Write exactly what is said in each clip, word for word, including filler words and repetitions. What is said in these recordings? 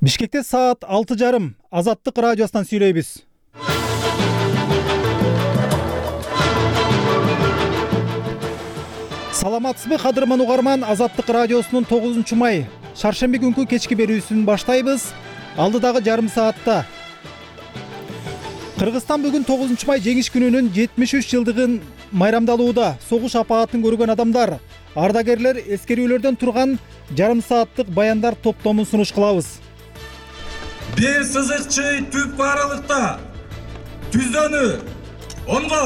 Бишкекте саат алты жарым Азаттык радиосунан сүйлөйбүз. Саламатсызбы кадырман угарман, Азаттык радиосунун тогузунчу май шаршемби күнкү кечки берүүсүн баштайбыз. Алдыдагы жарым саатта Кыргызстан бүгүн тогузунчу май жеңиш күнүнүн жетимиш үч жылдыгын майрамдалууда. Согуш апаатын көргөн адамдар, ардагерлер эскерүүлөрдөн турган жарым сааттык баяндар топтомун сунуш кылабыз. Бир сызыкчы түп аралыкта түздөнү онго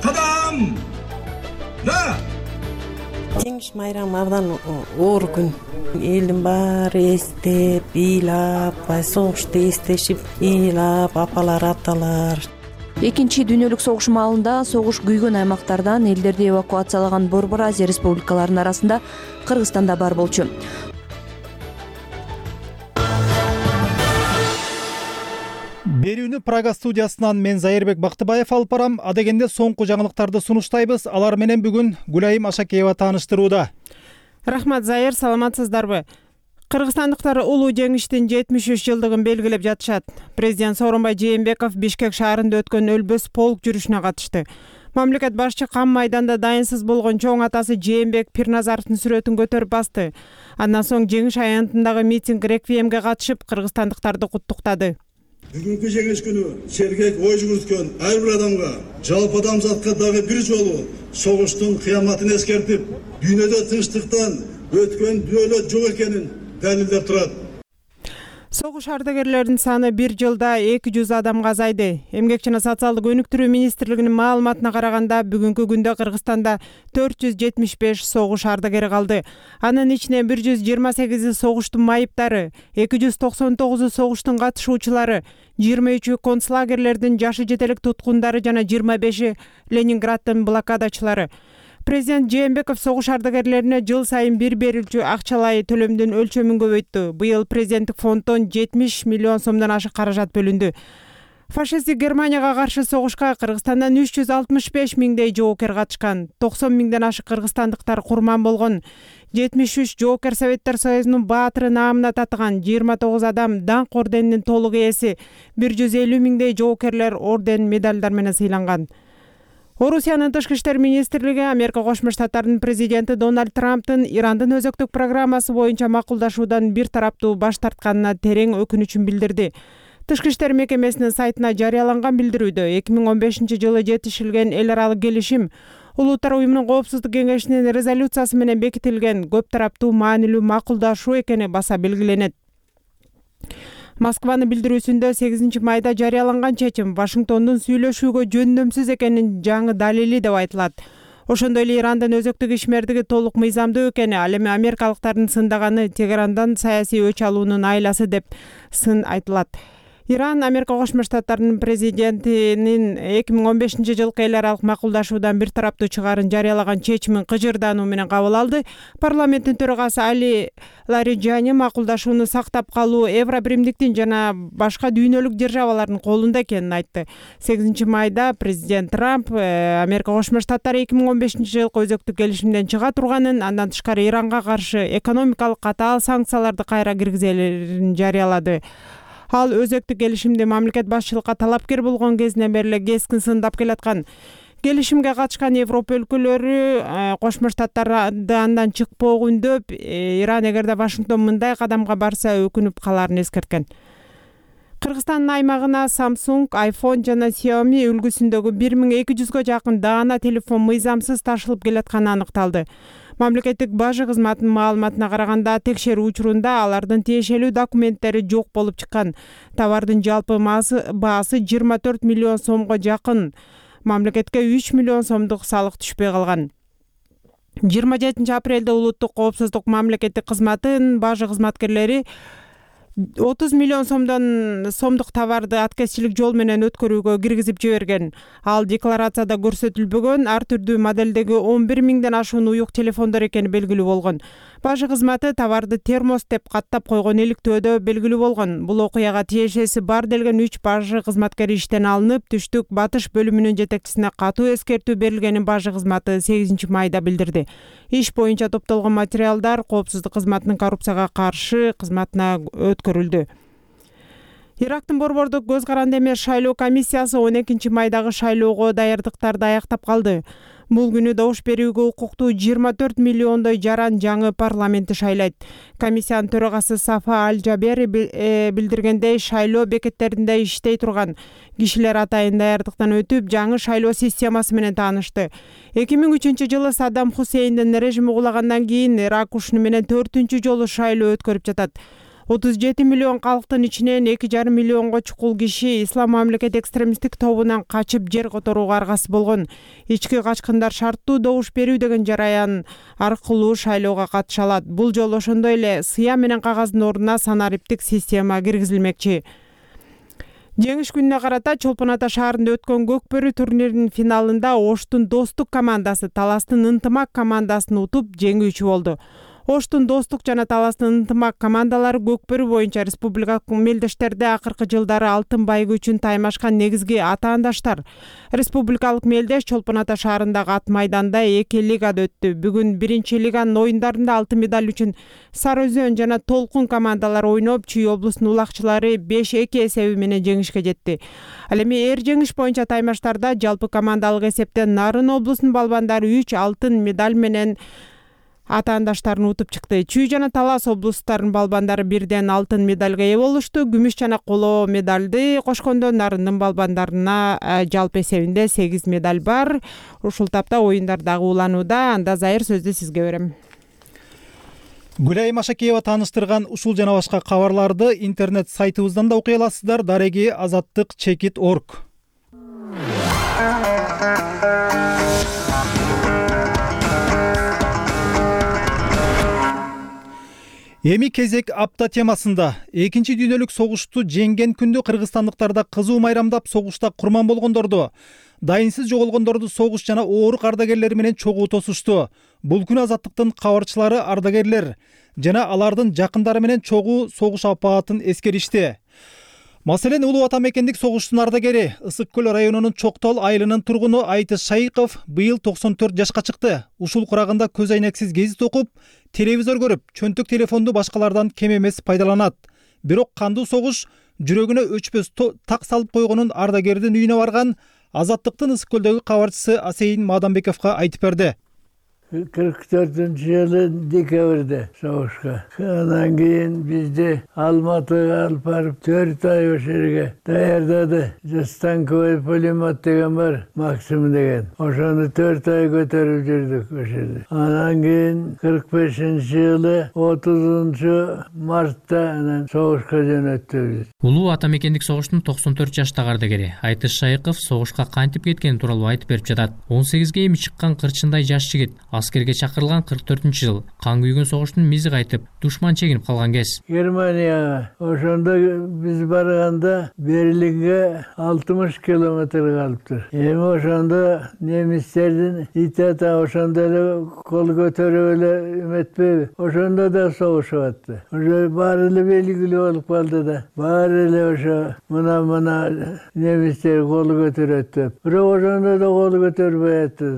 кадам на. Жеңиш майрамы абдан оор күн. Элдин баары эстеп, ыйлап, согушту эстешип, ыйлап, апалар, аталар. Экинчи дүйнөлүк согуш маалында согуш күйгөн аймактардан элдерди эвакуациялаган Борбор Азия республикаларынын арасында Кыргызстан да бар болчу. Берүүнү Прага студиясынан мен Зайырбек Бактыбаев алып барам. Адегенде соңку жаңылыктарды сунуштайбыз. Алар менен бүгүн Гүлайым Ашакеева тааныштырууда. Рахмат Зайыр, саламатсыздарбы? Кыргызстандыктар улуу жеңиштин жетимиш үч жылдыгын белгилеп жатышат. Президент Сооронбай Жээнбеков Бишкек шаарында өткөн өлбөс полк жүрүшүнө катышты. Мамлекет башчы кам майданда дайынсыз болгон чоң атасы Жээнбек Пирназаровдун сүрөтүн көтөрүп басты. Андан соң жеңиш аянтындагы митинг реквиемге катышып, кыргызстандыктарды куттуктады. Бүгүнкү жеңиш күнү сергек ой жүгүрткөн ар бир адамга, жалпы адамзатка дагы бир жолу согуштун кыяматын эскертип, дүйнөдө тынчтыктан өткөн дүйнөлө жок экенин далилдеп турат. Согуш ардагерлеринин саны бир жылда эки жүз адамга азайды. Эмгек жана социалдык өнүктүрүү министрлигинин маалыматына караганда, бүгүнкү күндө Кыргызстанда төрт жүз жетимиш беш согуш ардагери калды. Анын ичинен бир жүз жыйырма сегизи согуштун майыптары, эки жүз токсон тогузу согуштун катышуучулары, жыйырма үчү концлагерлердин жашы жетелик туткундары жана жыйырма беши Ленинграддын блокадачылары. Президент Жээнбеков согуш ардагерлерине жыл сайын бир берилчү акчалай төлөмдүн өлчөмүн көбөйттү. Быйыл президенттик фонддон жетимиш миллион сомдон ашык каражат бөлүндү. Фашисттик Германияга каршы согушка Кыргызстандан үч жүз алтымыш беш миңдей жоокер катышкан. токсон миңден ашык кыргызстандыктар курман болгон. жетимиш үч жоокер Советтер Союзунун баатыры наамына татыган. жыйырма тогуз адам даңк орденинин толук ээси. бир жүз элүү миңдей жоокерлер орден, медалдар менен сыйланган. Орусиянын тышкы иштер министрлиги Америка Кошмо Штаттарынын президенти Дональд Трамптын Ирандын өзөктүк программасы боюнча макулдашуудан бир тараптуу баш тартканына терең өкүнүчүн билдирди. Тышкы иштер мекемесинин сайтына жарыяланган билдирүүдө эки миң он бешинчи жылы жетишилген эл аралык келишим Улуттар уюмунун коопсуздук кеңешинин резолюциясы менен бекитилген көп тараптуу маанилүү макулдашуу экени баса белгиленет. Москванын билдирүүсүндө сегизинчи майда жарыяланган чечим Вашингтондун сүйлөшүүгө жөндөмсүз экенин жаңы далили деп айтылат. Ошондой эле Ирандын өзөктүк ишмердиги толук мыйзамдуу экени, ал эми америкалыктардын сындаганы Тегерандан саясий өч алуунун айласы деп сын айтылат. Иран Америка Кошмо Штаттарынын президентинин эки миң он бешинчи жылкы эл аралык макулдашуудан бир тараптуу чыгаарын жарыялаган чечимин кыжырдаануу менен кабыл алды. Парламенттин төрагасы Али Лариджани макулдашууну сактап калуу Евробиримдиктин жана башка дүйнөлүк державалардын колунда экенин айтты. сегизинчи майда президент Трамп Америка Кошмо Штаттары эки миң он бешинчи жылкы өзөктүк келишимден чыга турганын, андан тышкары Иранга каршы экономикалык катаал санкцияларды кайра киргизерин жарыялады. Ал өзөктүк келишимди мамлекет башчылыкка талапкер болгон кезинен бери эле кескин сындап келаткан. Келишимге катышкан Европа өлкөлөрү Кошмо Штаттарды андан чыкпоого үндөп, Иран эгерде Вашингтон мындай кадамга барса өкүнүп каларын эскерткен. Кыргызстандын аймагына Samsung, iPhone жана Xiaomi үлгүсүндөгү бир миң эки жүзгө жакын даана телефон мыйзамсыз ташылып келатканы аныкталды. Мамлекеттик бажы кызматынын маалыматына караганда, текшерүү учурунда алардын тиешелүү документтери жок болуп чыккан. Товардын жалпы баасы жыйырма төрт миллион сомго жакын. Мамлекетке үч миллион сомдук салык түшпөй калган. жыйырма жетинчи апрелде улуттук коопсуздук мамлекеттик кызматынын бажы кызматкерлери отуз миллион сомдон сомдук товарды аткезчилик жол менен өткөрүүгө киргизип жиберген. Ал декларацияда көрсөтүлбөгөн ар түрдүү модельдеги он бир миңден ашуун уюк телефондор экени белгилүү болгон. Бажы кызматы товарды термос деп каттап койгон иликтөөдө белгилүү болгон. Бул окуяга тиешеси бар делген үч бажы кызматкери иштен алынып, түштүк батыш бөлүмүнүн жетекчисине катуу эскертүү берилгенин бажы кызматы сегизинчи майда билдирди. Иш боюнча топтолгон материалдар коопсуздук кызматынын коррупцияга каршы кызматына өткөрүлдү. Ирактын борбордук көз каранды эмес шайлоо комиссиясы он экинчи майдагы шайлоого даярдыктарды аяктап калды. Бул күнү добуш берүүгө укуктуу жыйырма төрт миллиондой жаран жаңы парламентти шайлайт. Комиссиянын төрагасы Сафа Аль-Жабери билдиргендей, шайлоо бекеттеринде иштей турган кишилер атайын даярдыктан өтүп, жаңы шайлоо системасы менен таанышты. эки миң үчүнчү жылы Саддам Хусейндин режими кулагандан кийин Ирак ушуну менен төртүнчү жолу шайлоо өткөрүп жатат. отуз жети миллион калктын ичинен эки жарым миллионго чукул киши Ислам мамлекет экстремисттик тобунан качып жер которууга аргасыз болгон. Ички качкындар шарттуу добуш берүү деген жараян аркылуу шайлоого катыша алат. Бул жолу ошондой эле сыя менен кагаздын ордуна санариптик система киргизилмекчи. Жеңиш күнүнө карата Чолпон Ата шаарында өткөн Көкбөрү турниринин финалында Оштун Достук командасы Таластын Ынтымак командасын утуп жеңүүчү болду. Оштун Достук жана Таластын Ынтымак командалары Көкбөрү боюнча республикалык мелдештерде акыркы жылдары алтын байгы үчүн таймашкан негизги атаандаштар. Республикалык мелдеш Чолпон Ата шаарындагы ат майданда эки лигада өттү. Бүгүн биринчи лиганын оюндарында алтын медаль үчүн Сары Өзөн жана Толкун командалары ойноп, Чүй облусунун улакчылары беш эки эсеби менен жеңишке жетти. Ал эми эр жеңиш боюнча таймаштарда жалпы командалык эсептен Нарын облусунун балбандары үч алтын медаль менен атаандаштарын утуп чыкты. Чүй жана Талас облустарынын балбандары бирден алтын медальга ээ болушту. Күмүш жана коло медальды кошкондо Нарындын балбандарына жалпы эсебинде сегиз медаль бар. Ушул тапта оюндар дагы уланууда. Анда Зайыр сөздү сизге берем. Гүлайым Ашакеева тааныштырган ушул жана башка кабарларды интернет сайтыбыздан да окуй аласыздар. Дареги азаттык чекит точка орг. Эми кезек апта темасында экинчи дүйнөлүк согушту жеңген күндү кыргызстандыктарда кызуу майрамдап, согушта курман болгондорду, дайынсыз жоголгондорду согуш жана оорук ардагерлери менен чогуу тосушту. Бул күнү азаттыктын кабарчылары, ардагерлер жана алардын жакындары менен чогуу согуш апаатын эскеришти. Маселен, Улуу Ата мекендик согуштун ардагери, Ысык көл районунун Чоктол айылынын тургуну Айтыш Шайыков быйыл токсон төрт жашка чыкты. Ушул курагында көз айнексиз гезит окуп, телевизор көрүп, чөнтөк телефонду башкалардан кем эмес пайдаланат. Бирок кандуу согуш жүрөгүнө өчпөс так салып койгонун ардагердин үйүнө барган Азаттыктын Ысык көлдөгү кабарчысы Асейин Мадамбековго айтып берди. кырк төртүнчү жылы декабрда согушка. Андан кийин бизди Алматыга алып барып төрт ай ошол жерге даярдады. Станковый пулемет деген бар, Максим деген. Ошону төрт ай көтөрүп жүрдүк ошол жерде. Андан кийин кырк бешинчи жылы отузунчу мартта анан согушка жөнөттү биз. Улуу Ата мекендик согуштун токсон төрт жаштагы ардагери Айтыш Шайыков согушка кантип кеткени тууралуу айтып берип жатат. он сегизге эми чыккан кырчындай жаш жигит аскерге чакырылган кырк төртүнчү жыл кан күйгөн согуштун мизи кайтып, душман чегинип калган кез. Германияга ошондо биз барганда Берлинге алтымыш километр калыптыр. Эми ошондо немистердин итата ошондо эле кол көтөрүп эле эметпейби? Ошондо да согушуп атты. Ошо баары эле белгилүү болуп калды да. Баары эле ошо мына-мына немистер кол көтөрөт деп. Бирок ошондо да кол көтөрбөй атты.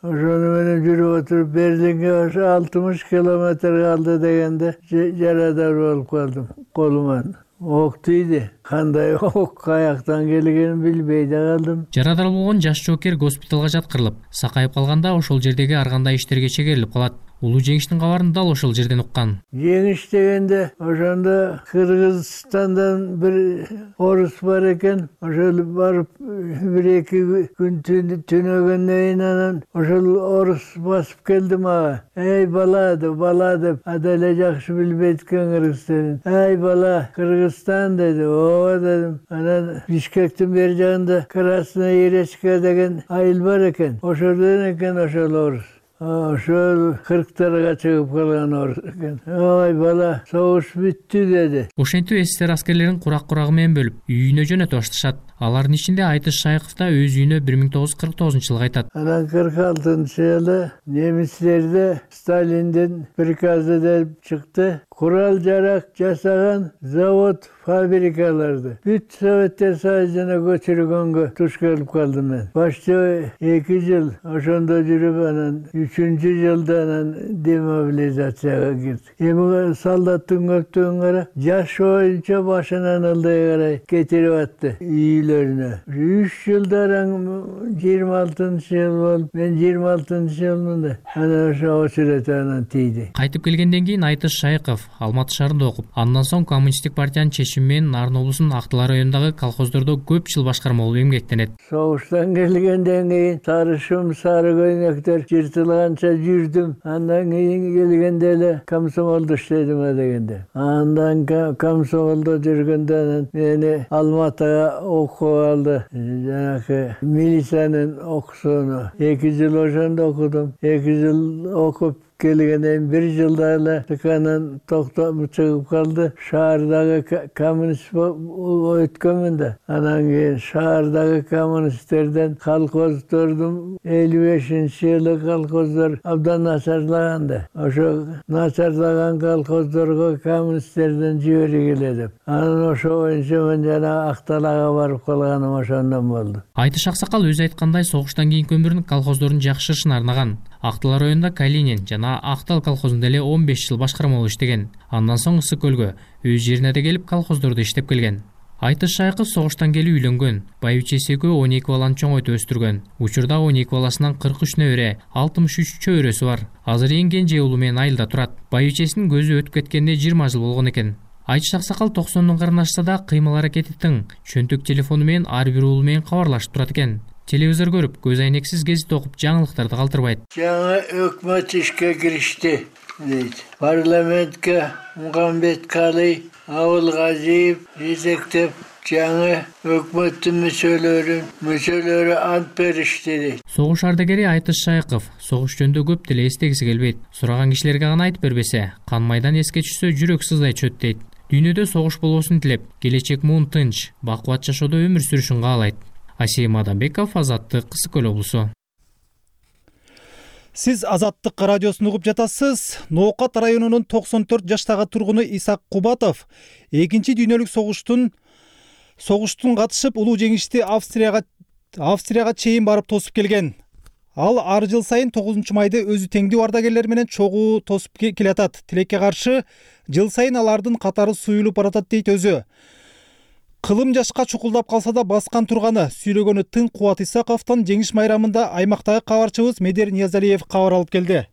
Ошону менен жүрүп отуруп Берлинге ошо алтымыш километр калды дегенде жарадар болуп калдым колуман. Ок тийди. Кандай ок каяктан келгенин билбей да калдым. Жарадар болгон жаш жоокер госпиталга жаткырылып, сакайып калганда ошол жердеги ар кандай иштерге чегерилип калат. Улуу жеңиштин кабарын дал ошол жерден уккан. Жеңиш дегенде ошондо Кыргызстандан бир орус бар экен. Ошол барып бир эки күн түнөгөндөн кийин анан ошол орус басып келди мага. Эй бала деп, бала деп, аделе жакшы билбейт экен кыргыз тилин. Эй бала, Кыргызстан деди. Ооба дедим. Анан Бишкектин бери жагында Красная Иречка деген айыл бар экен. Ошолдон экен ошол орус. Ошол кырктарга чыгып калган орус экен. Ой бала, согуш бүттү деди. Ошентип эсер аскерлерин курак-курагы менен бөлүп, үйүнө жөнөтө башташат. Алардын ичинде Айтыш Шайыков да өз үйүнө бир миң тогуз жүз кырк тогузунчу жылы кайтат. Анан кырк алтынчы жылы немистерде Сталиндин приказы деп чыкты. курал жарак жасаган завод, фабрикаларды бүт Советтер Союзуна көчүргөнгө туш келип калдым мен. Башчы эки жыл ошондо жүрүп, анан үчүнчү жылда анан демобилизацияга кирдик. Эми солдаттын көптүгүн кара, жаш боюнча башынан ылдый карай кетирип атты үйлөрүнө. Үч жылдар жыйырма алтынчы жыл болуп, мен жыйырма алтынчы жылмын да. Анан ошо очередь анан тийди. Кайтып келгенден кийин Айтыш Шайков Алматы шаарында окуп, андан соң Коммунисттик партиянын чечими менен Нарын облусунун Актылар районундагы колхоздордо көп жыл башкарма болуп эмгектенет. Согуштан келгенден кийин сарышым, сары көйнөктөр жыртылганча жүрдүм. Андан кийин келгенде эле комсомолдо иштедим дегенде. Андан комсомолдо жүргөндө мени Алматыга окуп алды. Жанакы милициянын окуусуну эки жыл ошондо окудум. эки жыл окуп келгенден бир жылда эле тканан токтоп чыгып калды. Шаардагы коммунист өткөнмүн да. Анан кийин шаардагы коммунисттерден колхоздордун элүү бешинчи жылы колхоздор абдан начарлаган да. Ошо начарлаган колхоздорго коммунисттерден жибергиле деп. Анан ошо боюнча мен жана Акталага барып калганым ошондон болду. Айтыш Аксакал өзү айткандай, согуштан кийинки өмүрүн колхоздордун жакшырышына арнаган. Актылар районунда Калинин жана Актал колхозунда эле он беш жыл башкарма болуп иштеген. Андан соң Ысык көлгө, өз жерине да келип колхоздордо иштеп келген. Айтыш Шайков согуштан келип үйлөнгөн. Байбичеси экөө он эки баланы чоңойтуп өстүргөн. Учурда он эки баласынан кырк үч небере, алтымыш үч чөбөрөсү бар. Азыр эң кенже уулу менен айылда турат. Байбичесинин көзү өтүп кеткенине жыйырма жыл болгон экен. Айтыш Аксакал токсондун карындашса да кыймыл аракети тың. Чөнтөк телефону менен ар бир уулу менен кабарлашып турат экен. Телевизор көрүп, көз айнексиз гезит окуп, жаңылыктарды калтырбайт. Жаңы өкмөт ишке киришти дейт. Парламентке Мухамбет Калый, Абылгазиев жетектеп, жаңы өкмөттүн мүчөлөрүн, мүчөлөрү ант беришти дейт. Согуш ардагери Айтыш Шайков согуш жөнүндө көп деле эстегиси келбейт. Сураган кишилерге гана айтып бербесе, кан майдан эске түшсө жүрөк сыздай чөт дейт. Дүйнөдө согуш болбосун тилеп, келечек муун тынч, бакубат жашоодо өмүр сүрүшүн каалайт. Асим Адамбеков, Азаттык, Ысык көл облусу. Сиз Азаттык радиосун угуп жатасыз. Ноокат районунун токсон төрт жаштагы тургуну Исак Кубатов экинчи дүйнөлүк согуштун согуштун катышып, улуу жеңишти Австрияга Австрияга чейин барып тосуп келген. Ал ар жыл сайын тогузунчу майды өзү теңдүү ардагерлер менен чогуу тосуп келатат. Тилекке каршы жыл сайын алардын катары суюлуп баратат дейт өзү. Кылым жашка чукулдап калса да баскан турганы, сүйлөгөнү тың Кубат Исаковдон жеңиш майрамында аймактагы кабарчыбыз Медер Ниязалиев кабар алып келди.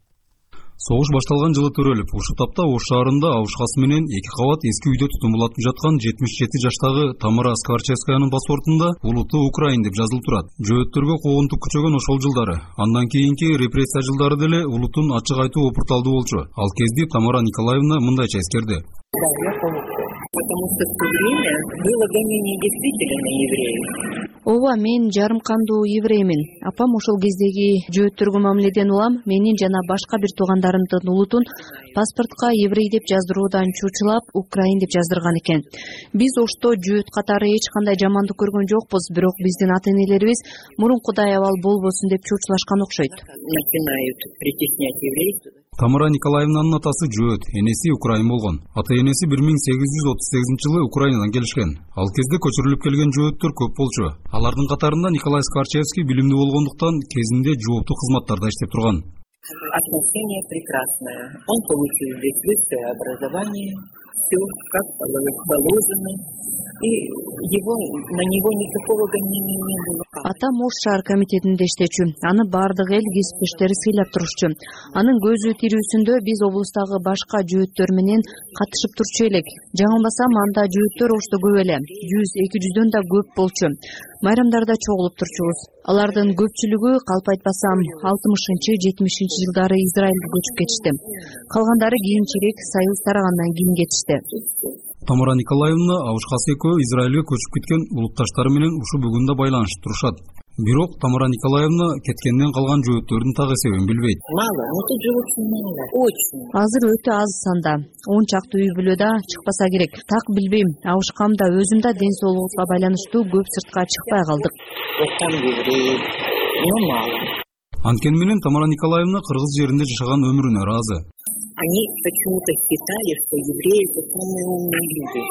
Согуш башталган жылы төрөлүп, ушул тапта Ош шаарында абышкасы менен эки кабат эски үйдө түтүн булатып жаткан жетимиш жети жаштагы Тамара Скворчевскаянын паспортунда улуттуу Украин деп жазылып турат. Жөөттөргө куугунтук күчөгөн ошол жылдары. Андан кийинки репрессия жылдары деле улуттун ачык айтуу опурталдуу болчу. Ал кезде Тамара Николаевна мындайча эскерди. Потому что в то время было гонение действительно на евреев. Ооба, мен жарым кандуу евреймин. Апам ошол кездеги жөөттөргө мамиледен улам менин жана башка бир туугандарымдын улутун паспортко еврей деп жаздыруудан чучулап, Украин деп жаздырган экен. Биз Ошто жөөт катары эч кандай жамандык көргөн жокпуз, бирок биздин ата-энелерибиз мурункудай абал болбосун деп чучулашкан окшойт. Начинают притеснять еврейство. Тамара Николаевнанын атасы жөөт, энеси Украин болгон. Ата-энеси бир миң сегиз жүз отуз сегизинчи жылы Украинадан келишкен. Ал кезде көчүрүлүп келген жөөттөр көп болчу. Алардын катарында Николай Скворчевский билимдүү болгондуктан кезинде жооптуу кызматтарда иштеп турган. Отношение прекрасное. Он получил здесь высшее образование, все как положено. И его, на него никакого гонения не было. Атам Ош шаар комитетинде иштечү. Аны бардык эл кесиптештери сыйлап турушчу. Анын көзү тирүүсүндө биз облустагы башка жөөттөр менен катышып турчу элек. Жаңылбасам, анда жөөттөр Ошто көп эле. жүз эки жүздөн да көп болчу. Майрамдарда чогулуп турчубуз. Алардын көпчүлүгү, калп айтпасам, алтымышынчы жетимишинчи жылдары Израилге көчүп кетишти. Калгандары кийинчерээк Союз тарагандан кийин кетишти. Тамара Николаевна абышкасы экөө Израилге көчүп кеткен улутташтары менен ушу бүгүндө байланышып турушат. Бирок Тамара Николаевна кеткенден калган жөөттөрдүн так эсебин билбейт. Мало, но тут живут мало, очень. Азыр өтө аз санда. он чакты үй бүлө да чыкпаса керек. Так билбейм, абышкам да өзүм да ден соолугубузга байланыштуу көп сыртка чыкпай калдык. Вот там евреи, но мало. Анткени менен Тамара Николаевна кыргыз жеринде жашаган өмүрүнө ыраазы. они почему-то считали, что евреи это самые умные люди.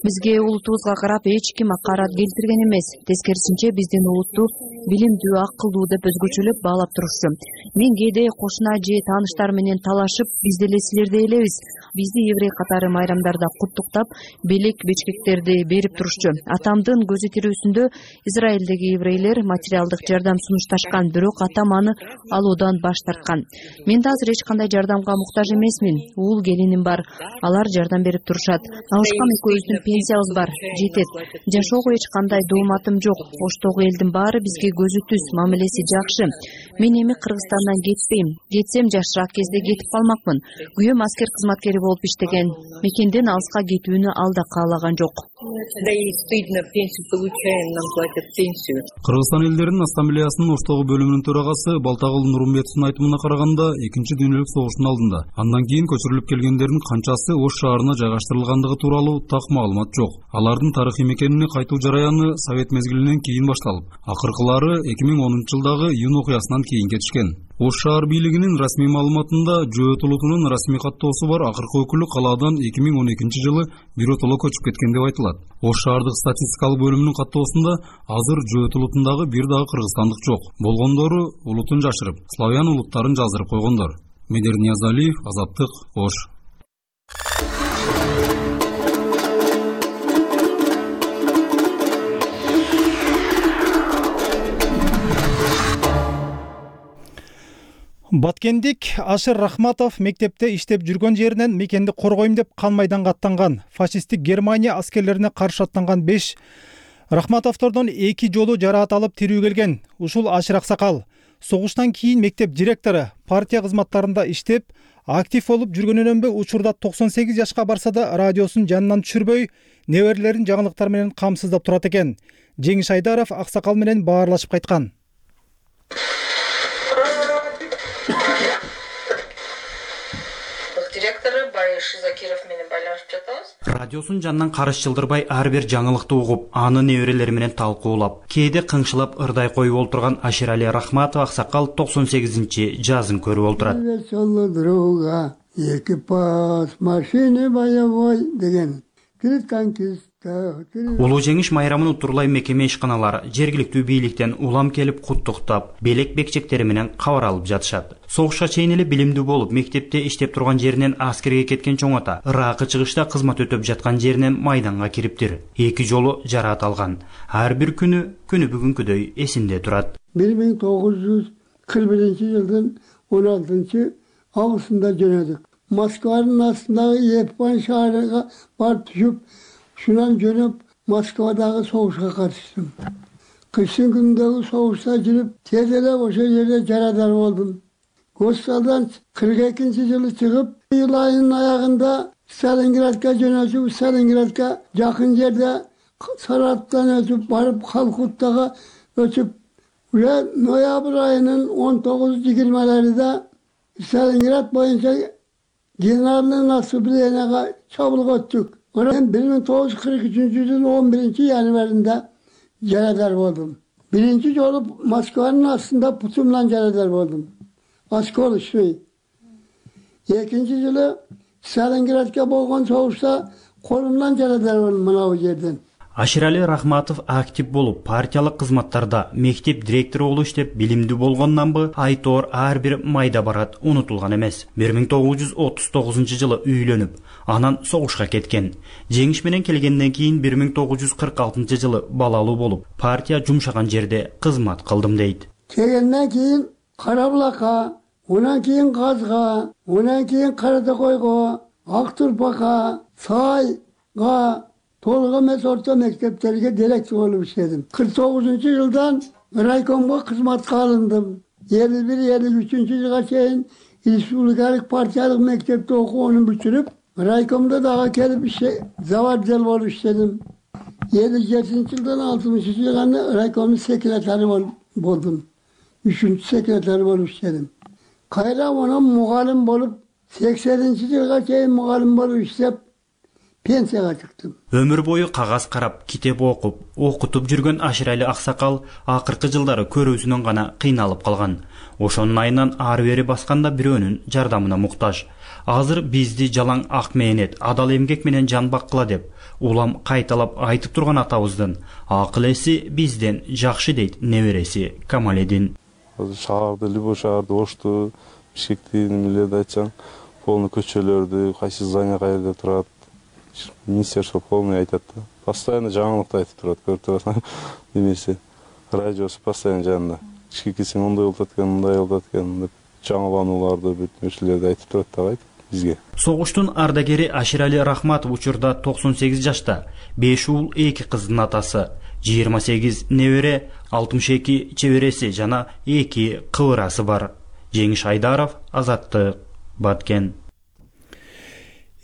Бизге улутубузга карап эч ким акарат келтирген эмес. Тескерисинче биздин улутту билимдүү, акылдуу деп өзгөчөлөп баалап турушчу. Мен кээде кошуна же тааныштар менен талашып, биз деле силердей элебиз. Бизди еврей катары майрамдарда куттуктап, белек бечкектерди берип турушчу. Атамдын көзү тирүүсүндө Израилдеги еврейлер материалдык жардам сунушташкан, бирок атам аны алуудан баш тарткан. Мен да азыр эч кандай жардамга муктаж эмесмин. Уул келиним бар. Алар жардам берип турушат. Алышкан экөөбүздүн пенсиябыз бар, жетет. Жашоого эч кандай дооматым жок. Оштогу элдин баары бизге көзү түз, мамилеси жакшы. Мен эми Кыргызстандан кетпейм. Кетсем жашыраак кезде кетип калмакмын. Күйөөм аскер кызматкери болуп иштеген. Мекенден алыска кетүүнү ал да каалаган жок. Да и стыдно, пенсию получаем, нам платят пенсию. Кыргызстан элдеринин ассамблеясынын Оштогу бөлүмүнүн төрагасы Балтагул Нурумбетовдун айтымына караганда, экинчи дүйнөлүк согуштун алдында андан кийин көчүрүлүп келгендердин канчасы Ош шаарына жайгаштырылгандыгы тууралуу так маалымат жок. Алардын тарыхый мекенине кайтуу жараяны Совет мезгилинен кийин башталып, акыркылары эки миң онунчу жылдагы июнь окуясынан кийин кетишкен. Ош шаар бийлигинин расмий маалыматында Жөөт улутунун расмий каттоосу бар акыркы өкүлү калаадан эки миң он экинчи жылы биротоло көчүп кеткен деп айтылат. Ош шаардык статистикалык бөлүмүнүн каттоосунда азыр Жөөт улутундагы бир дагы кыргызстандык жок. Болгондору улутун жашырып, славян улуттарын жаздырып койгондор. Медер Ниязалиев, Азаттык, Ош. Баткендик Ашыр Рахматов мектепте иштеп жүргөн жеринен мекенди коргойм деп кан майданга аттанган. Фашисттик Германия аскерлерине каршы аттанган беш Рахматовдордон эки жолу жараат алып тирүү келген. Ушул Ашыр Аксакал согуштан кийин мектеп директору, партия кызматтарында иштеп, актив болуп жүргөнүнөн бе учурда токсон сегиз жашка барса да радиосун жанынан түшүрбөй, неберелерин жаңылыктар менен камсыздап турат экен. Жеңиш Айдаров Аксакал менен баарлашып кайткан. Директору Бариш Закиров менен байланышып жатабыз. Радиосун жанынан карыш жылдырбай ар бир жаңылыкты угуп, аны неберелери менен талкуулап, кээде кыңшылап ырдай коюп олтурган Аширали Рахматов Аксакал токсон сегизинчи жазын көрүп олтурат. Друга, экипаж машины боевой деген. Улуу жеңиш майрамын утурлай мекеме ишканалары жергиликтүү бийликтен улам келип куттуктап, белек бекчектери менен кабар алып жатышат. Согушка чейин эле билимдүү болуп, мектепте иштеп турган жеринен аскерге кеткен чоң ата, ыракы чыгышта кызмат өтөп жаткан жеринен майданга кириптир. Эки жолу жараат алган. Ар бир күнү күнү бүгүнкүдөй эсинде турат. бир миң тогуз жүз кырк биринчи жылдын он алтынчы августунда жөнөдүк. Москванын астындагы Еппан шаарына барып түшүп, шунан жөнөп Москвадагы согушка катыштым. Кыштын күнүндөгү согушта жүрүп, тез эле ошол жерде жарадар болдум. Госпиталдан кырк экинчи жылы чыгып, июль айынын аягында Сталинградка жөнөтүп, Сталинградка жакын жерде Саратовдон өтүп барып, Халкуттага өтүп, уже ноябрь айынын он тогуз жыйырмаларында Сталинград боюнча генеральный наступлениега чабуулга өттүк. Мен бир миң тогуз жүз кырк үчүнчү жылы он биринчи январында жарадар болдум. Биринчи жолу Москванын астында путумдан жарадар болдум. Осколочный. Экинчи жылы Сталинградка болгон согушта колумдан жарадар болдум мына жерден. Аширали Рахматов актив болуп, партиялык кызматтарда мектеп директору болуп иштеп, билимдүү болгондон бы айтор ар бир майда барат унутулган эмес. бир миң тогуз жүз отуз тогузунчу жылы үйлөнүп, анан согушка кеткен. Жеңиш менен келгенден кийин бир миң тогуз жүз кырк алтынчы жылы балалуу болуп, партия жумшаган жерде кызмат кылдым дейт. Келгенден кийин Карабулакка, онан кийин Казга, онан кийин Каратакойго, Ак Турпакка, Сайга, толук эмес орто мектептерге директор болуп иштедим. кырк тогузунчу жылдан райкомго кызматка алындым. элүү бир элүү үчүнчү жылга чейин республикалык партиялык мектепте окууну бүтүрүп, райкомдо дагы келип иште заводдел болуп иштедим. элүү жетинчи жылдан алтымышынчы жылга райкомдун секретары болдум. үчүнчү секретары болуп иштедим. Кайра онун мугалим болуп, сексенинчи жылга чейин мугалим болуп иштеп, пенсияга чыктым. Өмүр бою кагаз карап, китеп окуп, окутуп жүргөн Аширали аксакал акыркы жылдары көрүүсүнөн гана кыйналып калган. Ошонун айынан ары бери басканда бирөөнүн жардамына муктаж. Азыр бизди жалаң ак мээнет, адал эмгек менен жан баккыла деп улам кайталап айтып турган атабыздын акыл эси бизден жакшы дейт небереси Камаледин. Азыр шаарды, любой шаарды, Ошту, Бишкекти немелерди айтсаң, полный көчөлөрдү, кайсы здание каерде турат, министерство полный айтат да. Постоянно жаңылыкты айтып турат, көрүп турасың немеси. Радиосу постоянно жанында. Бишкекке мындай болуп аткан, мындай болуп аткан деп жаңыланууларды, бүт нерселерди айтып турат да айтып бизге. Согуштун ардагери Аширали Рахматов учурда токсон сегиз жашта, беш уул, эки кыздын атасы, жыйырма сегиз небере, алтымыш эки чебереси жана эки кыбырасы бар. Жеңиш Айдаров, Азаттык, Баткен.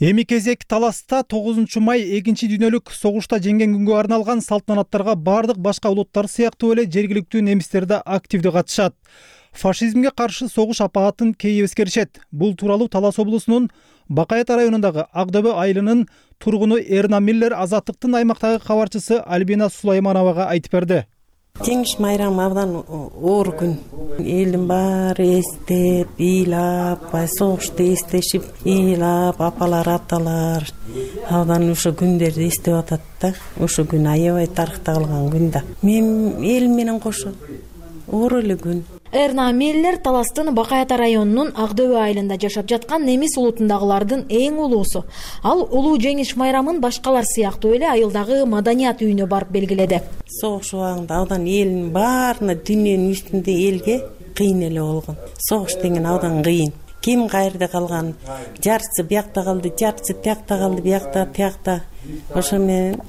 Эми кезек таласта тогузунчу май экинчи дүйнөлүк согушта жеңген күнгө арналган салтанаттарга бардык башка улуттар сыяктуу эле жергиликтүү немистер да активдүү катышат. Фашизмге каршы согуш апаатын кейи эскеришет. Бул тууралуу Талас облусунун Бакайата районундагы Акдөбө айылынын тургуну Эрна Миллер Азаттыктын аймактагы кабарчысы Альбина Сулаймановага айтып берди. Жеңиш майрамы абдан оор күн. Элдин баары эстеп, ыйлап, согушту эстешип, ыйлап, апалар, аталар абдан ошо күндөрдү эстеп атат да. Ошо күн аябай тарыхта калган күн да. Мен элим менен кошо оор эле күн. Эрна Миллер Таластын Бакайата районунун Акдөбө айылында жашап жаткан немис улутундагылардын эң улуусу. Ал улуу жеңиш майрамын башкалар сыяктуу эле айылдагы маданият үйүнө барып белгиледи. Согуш убагында абдан элдин баарына дүйнөнүн үстүндө элге кыйын эле болгон. Согуш деген абдан кыйын. Ким каерде калган, жарчысы биякта калды, жарчысы тиякта калды, биякта, тиякта. Ошо менен,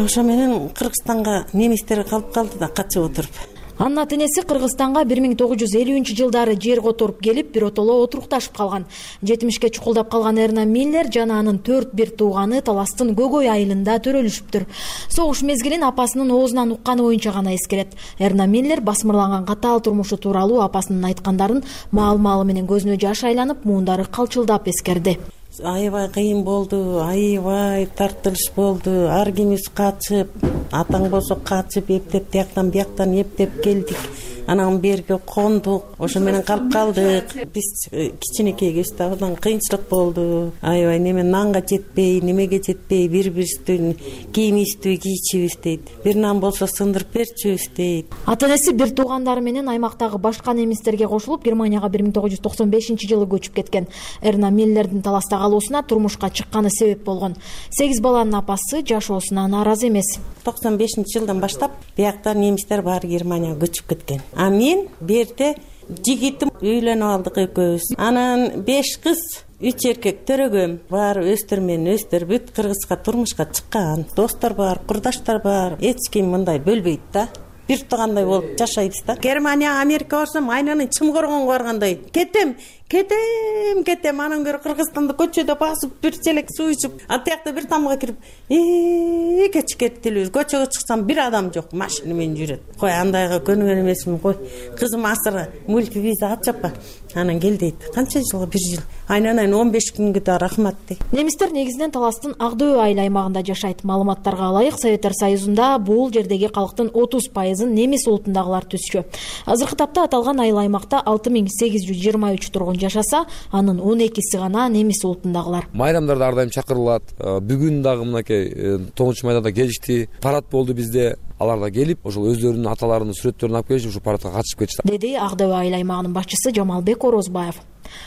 ошо менен Кыргызстанга немистер калып калды да качып отуруп. Анын ата-энеси Кыргызстанга бир миң тогуз жүз элүүнчү жылдары жер которуп келип, биротоло отурукташып калган. жетимишке чукулдап калган Эрна Миллер жана анын төрт бир тууганы Таластын Гөгөй айылында төрөлүшүптүр. Согуш мезгилин апасынын оозунан укканы боюнча гана эскерет. Эрна Миллер басмырланган катаал турмушу тууралуу апасынын айткандарын маал-маалы менен көзүнө жаш айланып, муундары калчылдап эскерди. Аябай кыйын болду, аябай тартылыш болду, ар кимибиз качып, атаң болсо качып, эптеп тияктан бияктан эптеп келдик. Анан берге кондук, ошо менен калып калдык. Биз кичинекей кезде абдан кыйынчылык болду. Аябай неме нанга жетпей, немеге жетпей, бири-бирибиздин кийимибизди кийичибиз дейт. Бир нан болсо сындырып берчүбүз дейт. Ата-энеси бир туугандары менен аймактагы башка немистерге кошулуп, Германияга бир миң тогуз жүз токсон бешинчи жылы көчүп кеткен. Эрна Миллердин Таласта калуусуна турмушка чыкканы себеп болгон. сегиз баланын апасы жашоосуна нааразы эмес. токсон бешинчи жылдан баштап биякта немистер баары Германияга көчүп кеткен. А мен берде жигитим үйлөнүп алдык экөөбүз. Анан беш кыз, үч эркек төрөгөм. Баары өстөр менен өстөр бүт Кыргызга турмушка чыккан. Достор бар, курдаштар бар. Эч ким мындай бөлбөйт да. Бир туугандай болуп жашайбыз да. Германия, Америка барсам, айнанын чымгоргонго баргандай. Кетем, кетем, кетем. Анан көрө Кыргызстанда көчөдө басып, бир челек суу ичип, атыякта бир тамга кирип, э кеч кетилибиз. Көчөгө чыксам бир адам жок, машина менен жүрөт. Кой, андайга көнүгөн эмесмин, кой. Кызым асыр мультивиза ачапка. Анан кел дейт. Канча жылга? бир жыл. Айнанайын он беш күнгө да рахмат дейт. Немистер негизинен Таластын Акдөбө айыл аймагында жашайт. Маалыматтарга ылайык, Советтер Союзунда бул жердеги калктын отуз пайызын немис улутундагылар түзчү. Азыркы тапта аталган айыл аймакта алты миң сегиз жүз жыйырма үч тургун жашаса, анын он экиси гана немис улутундагылар. Майрамдарда ар дайым чакырылат. Бүгүн дагы мынакей тогузунчу майда да келишти. Парад болду бизде. Алар да келип, ошол өздөрүнүн аталарынын сүрөттөрүн алып келишип, ушул парадка катышып кетишти. Деди Акдөбө айыл аймагынын башчысы Жамалбек Орозбаев.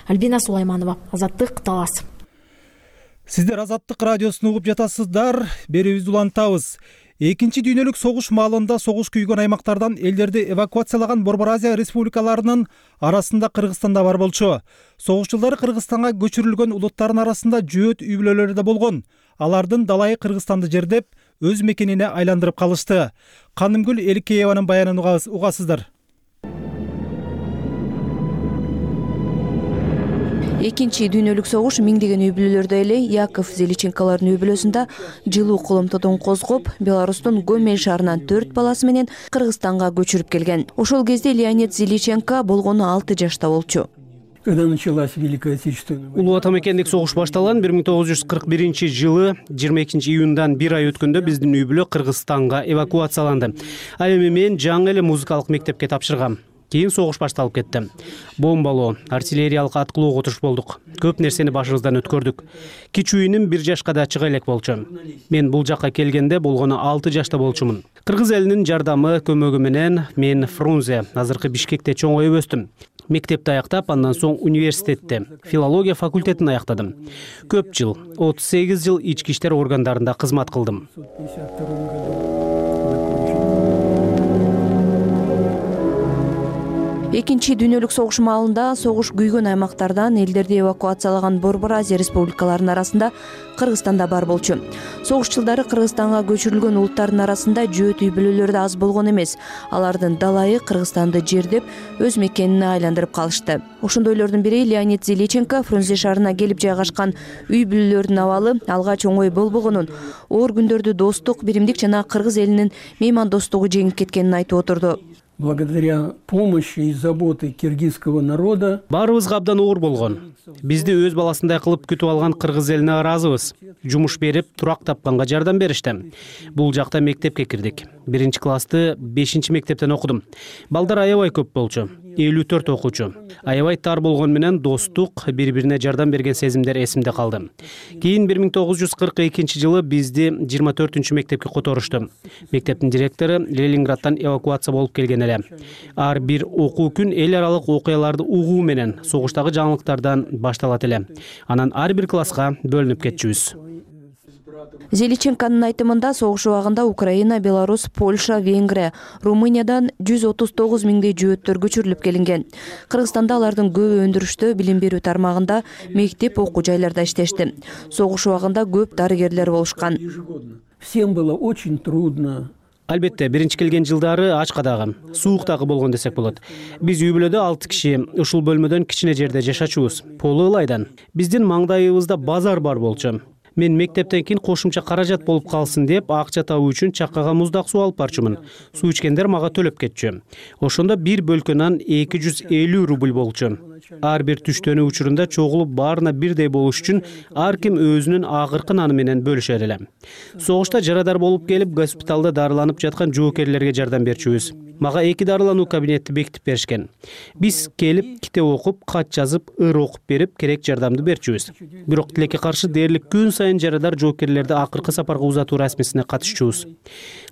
Альбина Сулайманова, Азаттык, Талас. Сиздер Азаттык радиосун угуп жатасыздар. Берүүбүздү улантабыз. Экинчи дүйнөлүк согуш маалында согуш күйгөн аймактардан элдерди эвакуациялаган Борбор Азия республикаларынын арасында Кыргызстан да бар болчу. Согуш жылдары Кыргызстанга көчүрүлгөн улуттардын арасында жөөт үй бүлөлөрү да болгон. Алардын далайы Кыргызстанды жердеп, өз мекенине айландырып калышты. Канымгүл Эликееванын баянын угасыздар. Экинчи дүйнөлүк согуш миңдеген үй бүлөлөрдө эле Яков Зеличенкалардын үй бүлөсүндө жылуу коломтодон козгоп, Беларустун Гомель шаарынан төрт баласы менен Кыргызстанга көчүрүп келген. Ошол кезде Леонид Зеличенко болгону алты жашта болчу. когда началась Великая Отечественная война. Улуу Ата мекендик согуш башталган бир миң тогуз жүз кырк биринчи жылы жыйырма экинчи июндан бир ай өткөндө биздин үй бүлө Кыргызстанга эвакуацияланды. Ал эми мен жаңы эле музыкалык мектепке тапшыргам. Кийин согуш башталып кетти. Бомбалоо, артиллериялык аткылоого туш болдук. Көп нерсени башыбыздан өткөрдүк. Кичүүнүм бир жашка да чыга элек болчу. Мен бул жакка келгенде болгону алты жашта болчумун. Кыргыз элинин жардамы, көмөгү менен мен Фрунзе, азыркы Бишкекте чоңоюп өстүм. Мектепти аяктап, андан соң университетте филология факультетин аяктадым. Көп жыл, отуз сегиз жыл ички иштер органдарында кызмат кылдым. Экинчи дүйнөлүк согуш маалында согуш күйгөн аймактардан элдерди эвакуациялаган Борбор Азия республикаларынын арасында Кыргызстан да бар болчу. Согуш жылдары Кыргызстанга көчүрүлгөн улуттардын арасында жөөт үй бүлөлөр да аз болгон эмес. Алардын далайы Кыргызстанды жердеп, өз мекенине айландырып калышты. Ошондойлордун бири Леонид Зеличенко Фрунзе шаарына келип жайгашкан үй бүлөлөрдүн абалы алгач оңой болбогонун, оор күндөрдү достук, биримдик жана Кыргыз элинин меймандостугу жеңип кеткенин айтып отурду. Благодаря помощи и заботе киргизского народа баарыбызга абдан оор болгон. Бизди өз баласындай кылып күтүп алган кыргыз элине ыраазыбыз. Жумуш берип, турак тапканга жардам беришти. Бул жакта мектепке кирдик. Биринчи классты бешинчи мектептен окудум. Балдар аябай көп болчу. элүү төрт окуучу. Аябай тар болгон менен достук, бири-бирине жардам берген сезимдер эсимде калды. Кийин бир миң тогуз жүз кырк экинчи жылы бизди жыйырма төртүнчү мектепке которушту. Мектептин директору Ленинградтан эвакуация болуп келген эле. Ар бир окуу күн эл аралык окуяларды угуу менен согуштагы жаңылыктардан башталат эле. Анан ар бир класска бөлүнүп кетчүбүз. Зеличенконун айтымында согуш убагында Украина, Беларусь, Польша, Венгрия, Румыниядан жүз отуз тогуз миңдей жөөттөр көчүрүлүп келинген. Кыргызстанда алардын көбү өндүрүштө, билим берүү тармагында, мектеп, окуу жайларда иштешти. Согуш убагында көп дарыгерлер болушкан. Всем было очень трудно. Албетте, биринчи келген жылдары ачкадагы, сууктагы болгон десек болот. Биз үй бүлөдө алты киши, ушул бөлмөдөн кичине жерде жашачубуз. Полу ылайдан. Биздин маңдайыбызда базар бар болчу. Мен мектептен кийин кошумча каражат болуп калсын деп акча табуу үчүн чаккага муздак суу алып барчумун. Суу ичкендер мага төлөп кетчү. Ошондо бир бөлкө нан эки жүз элүү рубль болчу. Ар бир түштөнүү учурунда чогулуп баарына бирдей болуш үчүн ар ким өзүнүн акыркы наны менен бөлүшөр эле. Согушта жарадар болуп келип, госпиталда дарыланып жаткан жоокерлерге жардам берчүбүз. Мага эки дарылануу кабинетти бекитип беришкен. Биз келип, китеп окуп, кат жазып, ыр окуп берип, керек жардамды берчүбүз. Бирок тилекке каршы дээрлик күн сайын жарадар жоокерлерди акыркы сапарга узатуу расмисине катышчубуз.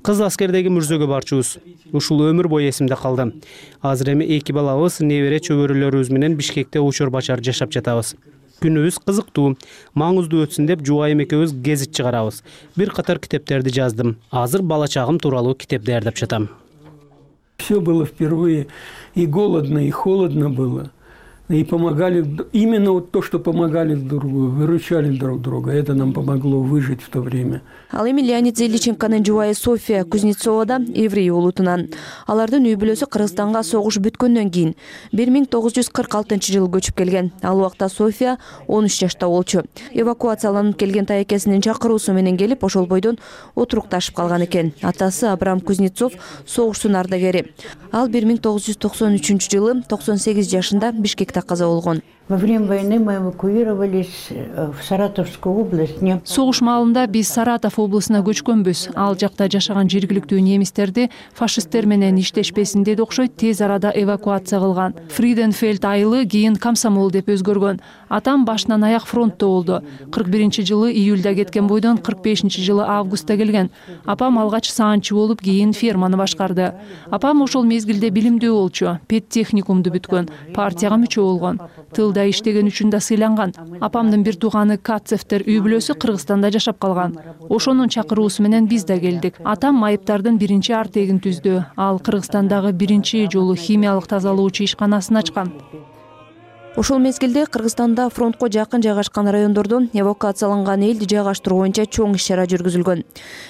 Кыз аскердеги мүрзөгө барчубуз. Ушул өмүр бою эсимде калды. Азыр эми эки балабыз, небере чөбөрөлөрүбүз менен Бишкекте учур бачар жашап жатабыз. Күнүбүз кызыктуу, маңыздуу өтсүн деп жубайым экөөбүз гезит чыгарабыз. Бир катар китептерди жаздым. Азыр бала чагым тууралуу китеп даярдап жатам. Все было впервые, и голодно, и холодно было. И помогали, именно вот то, что помогали друг другу, выручали друг друга. Это нам помогло выжить в то время. Ал эми Леонид Зеличенконун жубайы София Кузнецова да еврей улутунан. Алардын үй бүлөсү Кыргызстанга согуш бүткөндөн кийин бир миң тогуз жүз кырк алтынчы жылы көчүп келген. Ал убакта София он үч жашта болчу. Эвакуацияланып келген тайекесинин чакыруусу менен келип, ошол бойдон отурукташып калган экен. Атасы Абрам Кузнецов согуштун ардагери. Ал бир миң тогуз жүз токсон үчүнчү жылы токсон сегиз жашында Бишкекте каза болгон. Во время войны мы эвакуировались в Саратовскую область. Согуш маалында биз Саратов облусуна көчкөнбүз. Ал жакта жашаган жергиликтүү немистерди фашисттер менен иштешпесин деди окшойт, тез арада эвакуация кылган. Фриденфельд айылы кийин Комсомол деп өзгөргөн. Атам башынан аяк фронтто болду. кырк биринчи жылы июльда кеткен бойдон кырк бешинчи жылы августта келген. Апам алгач саанчы болуп, кийин ферманы башкарды. Апам ошол мезгилде билимдүү болчу, педтехникумду бүткөн, партияга мүчө болгон. Тылда иштеген үчүн да сыйланган. Апамдын бир тууганы Кацевтер үй бүлөсү Кыргызстанда жашап калган. Ошонун чакыруусу менен биз да келдик. Атам майыптардын биринчи артегин түздү. Ал Кыргызстандагы биринчи жолу химиялык тазалоочу ишканасын ачкан. Ошол мезгилде Кыргызстанда фронтко жакын жайгашкан райондордон эвакуацияланган элди жайгаштыруу боюнча чоң иш-чара жүргүзүлгөн.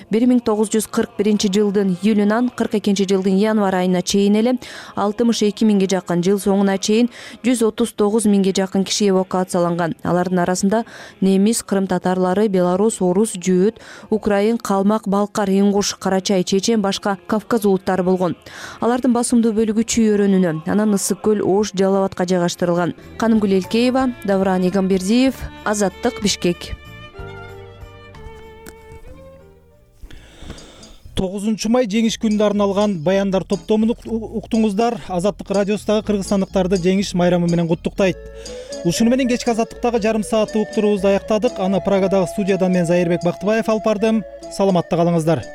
бир миң тогуз жүз кырк биринчи жылдын июлунан кырк экинчи жылдын январь айына чейин эле алтымыш эки миңге жакын, жыл соңуна чейин жүз отуз тогуз миңге жакын киши эвакуацияланган. Алардын арасында немис, кырым татарлары, белорус, орус, жөөт, украин, калмак, балкар, ингуш, карачай, чечен, башка Кавказ улуттары болгон. Алардын басымдуу бөлүгү Чүй өрөөнүнө, анан Ысык көл, Ош, Жалал абадка жайгаштырылган. Канымгүл Элкеева, Давран Игамбердиев, Азаттык, Бишкек. тогузунчу май жеңиш күнүнө арналган баяндар топтомун уктуңуздар. Азаттык радиосундагы кыргызстандыктарды жеңиш майрамы менен куттуктайт. Ушуну менен кечки Азаттыктагы жарым сааттык уктуруубузду аяктадык. Аны Прагадагы студиядан мен Зайырбек Бактыбаев алып бардым. Саламатта калыңыздар.